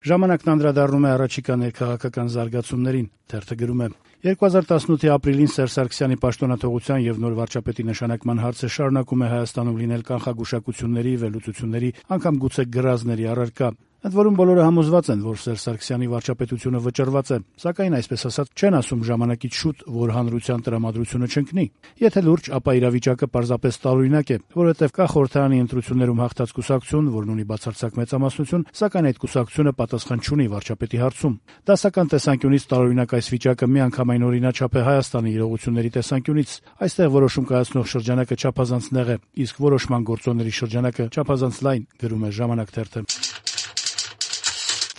Ժամանակն անդրադառնում է առաջիկա ներքաղաքական զարգացումներին, թերթը գրում է. 2018-ի ապրիլին Սերժ Սարգսյանի պաշտոնաթողության եւ նոր վարչապետի նշանակման հարցը շարունակում է Հայաստանում լինել կանխագուշակությունների, վերլուծությունների, անգամ գուցե գրազների առարկա։ Ընդ որում բոլորը համոզված են, որ Սերժ Սարգսյանի վարչապետությունը վճռված է, սակայն այսպես ասած չեն ասում ժամանակից շուտ, որ հանրության տրամադրությունը չընկնի։ Եթե լուրջ, ապա իրավիճակը պարզապես տարօրինակ է, որովհետև կա խորհրդարանի ընտրություններում հաղթած կուսակցություն, որն ունի բացարձակ մեծամասնություն, սակայն այդ կուսակցությունը պատասխան չունի վարչապետի հարցում։ Դասական տեսանկյունից տարօրինակ այս վիճակը միանգամայն օրինաչափ է Հայաստանի իրողությունների տեսանկյունից։ Այստեղ որոշում կայացնող շրջանակը չափազանց նեղ է, իսկ որոշման գործոնների շրջանակը չափազանց լայն, գրում է «Ժամանակ» թերթը։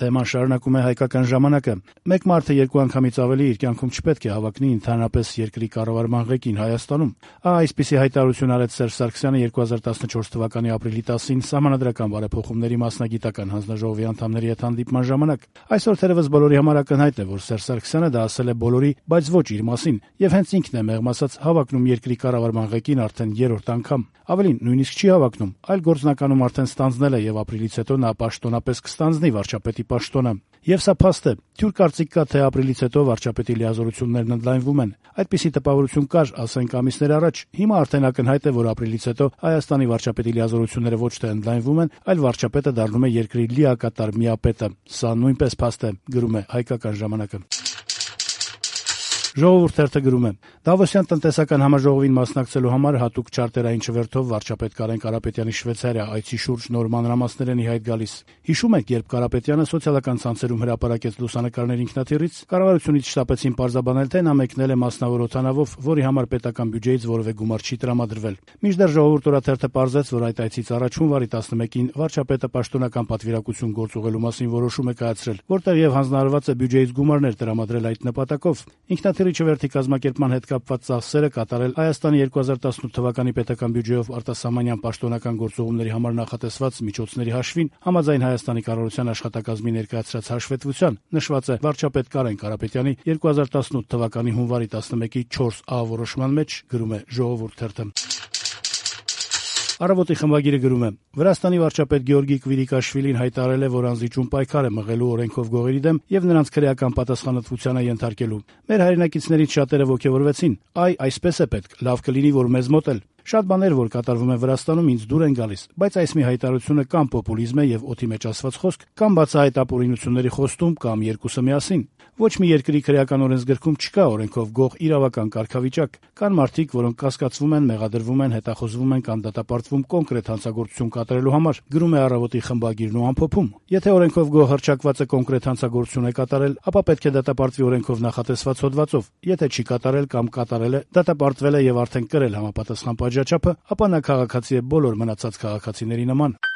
Թեման շարունակում է «Հայկական ժամանակը»։ Մեկ մարդը երկու անգամից ավելի իր կյանքում չպետք է հավակնի ընդհանրապես երկրի կառավարման ղեկին Հայաստանում։ Այսպիսի հայտարարություն արեց Սերժ Սարգսյանը 2014 թվականի ապրիլի 10-ին Սահմանադրական բարեփոխումների մասնագիտական հանձնաժողովի անդամների հետ հանդիպման ժամանակ։ Այսօր թերևս բոլորի համար ակնհայտ է, որ Սերժ Սարգսյանը դա ասել է բոլորի, բայց ոչ իր մասին, եւ հենց ինքն է մեղմ ասած հավակնում երկրի կառավարման ղեկին արդեն երրորդ անգամ։ Ավելին, նույնիսկ չի հավակնում, այլ գործնականում արդեն ստանձնել է եւ ապրիլից հետո նա պաշտոնապես կստանձնի վարչապետի պաշտոնը։ Եվ սա փաստ է։ Թյուր կարծիք կա, թե ապրիլից հետո վարչապետի լիազորություններն ընդլայնվում են։ Այդպիսի տպավորություն կար, ասենք ամիսներ առաջ։ Հիմա արդեն ակնհայտ է, որ ապրիլից հետո Հայաստանի վարչապետի լիազորությունները ոչ թե ընդլայնվում են, այլ վարչապետը դառնում է երկրի լիակատար միապետը։ Սա նույնպես փաստ է, գրում է «Հայկական ժամանակը»։ Ժողովուրդ թերթը գրում է. Դավոսյան տնտեսական համաժողովին մասնակցելու համար հատուկ չարտերային չվերթով վարչապետ Կարեն Կարապետյանի Շվեյցարիա այցի շուրջ նոր մանրամասներ են ի հայտ գալիս։ Հիշում եք, երբ Կարապետյանը սոցիալական ցանցերում հրապարակեց լուսանկարներ ինքնաթիռից, կառավարությունից շտապեցին պարզաբանել, թե նա մեկնել է մասնավոր օդանավով, որի համար պետական բյուջեից որևէ գումար չի տրամադրվել։ Մինչդեռ Ժողովուրդ օրաթերթը պարզեց, որ այդ այցից առաջ հունվարի 11-ին վարչապետը պաշտոնական պատվիրակություն գործուղելու մասին որոշում է կայացրել, որտեղ եւ հանձնարարված է բյուջեից գումարներ տրամադրել այդ նպատակով։ Ինքնաթիռի չվերթի կազմակերպման հետ կապված ծախսերը կատարել Հայաստանի 2018 թվականի պետական բյուջեով արտասահմանյան պաշտոնական գործողումների համար նախատեսված միջոցների հաշվին համաձայն Հայաստանի կառավարության աշխատակազմի ներկայացրած հաշվետվության, նշված է վարչապետ Կարեն Կարապետյանի 2018 թվականի հունվարի 11-ի 4A որոշման մեջ, գրում է Ժողովուրդ թերթը։ Առավոտի խմբագիրը գրում է. Վրաստանի վարչապետ Գեորգի Կվիրիկաշվիլին հայտարարել է, որ անզիջում պայքար է մղելու օրենքով գողերի դեմ եւ նրանց քրեական պատասխանատվությանը ենթարկելու։ Մեր հայրենակիցներից շատերը ոգևորվեցին. այսպես է պետք, լավ կլինի, որ մեզ մոտ էլ։ Շատ բաներ, որ կատարվում է Վրաստանում, ինձ դուր են գալիս, բայց այս մի հայտարարությունը կամ պոպուլիզմ է եւ օդի մեջ ասված խոսք, կամ բացահայտ ապօրինությունների խոստում, կամ երկուսը միասին։ Ոչ մի երկրի քրեական օրենսգրքում չկա օրենքով գող իրավական կարգավիճակ։ Կան մարդիկ, որոնք կասկածվում են, մեղադրվում են, հետախոզվում են կամ դատապարտվում կոնկրետ հանցագործություն կատարելու համար, գրում է Առավոտի խմբագիրն ու ամփոփում։ Եթե օրենքով գող հռչակված է կոնկրետ հանցագործություն է կատարել, ապա պետք է դատապարտվի օրենքով նախատեսված հոդվածով։ Եթե չի կատարել կամ կատարել է, դատապարտվել է եւ արդեն կրել համապատասխան պատժաչափը, ապա նա քաղաքացի է բոլոր մնացած քաղաքացիների նման։